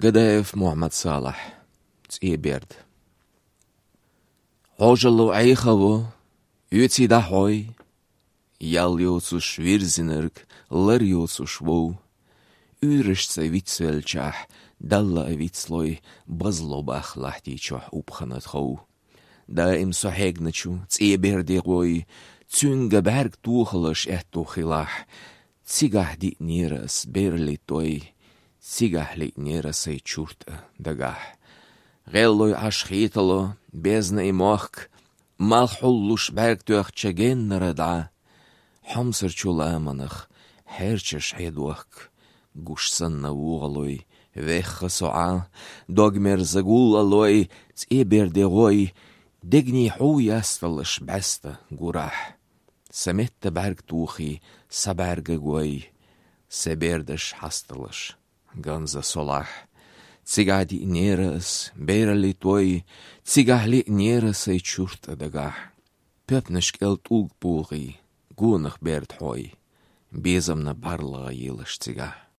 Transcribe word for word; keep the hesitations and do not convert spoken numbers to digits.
Гадаев Мухьмад-Салахь. «ЦӀе берд». Ӏожалло Ӏехаво, оьций дӀахьой, ял йоцуш вирзинарг лар йоцуш вов. Уьйрашца вицвелчахь, Далла а вицлой, базло бах лахьти чохь убхана тхов. Даим со хьегначу цӀе берде гӀой, цуьнга бӀаьрг тохалаш аьтту хилахь, цигахь диънера ас берли той, цигахь лиънера сай чурт а дагахь. ГӀеллой Ӏаш хетало безна и мохк, малх хьуллуш бӀаьрг тоьхча геннара дӀа. Хьомсарчу ламанах хьерчаш хьедохк, гуш санна вугӀалой, вехха со Ӏа, догмерза гуллалой, цӀе берде гӀой, дегний хьу ясталаш бӀаьста гурахь. Са метта бӀаьрг тухий, са бӀаьрга гой, са бердаш хьасталаш ганза солахь. Цигахь диънера ас берли той, цигахь лиънера сай чурт а дагахь. Пепнаш кӀел тӀулг бухий, гонах берд хьой, безамна бӀарлагӀа елаш цигахь.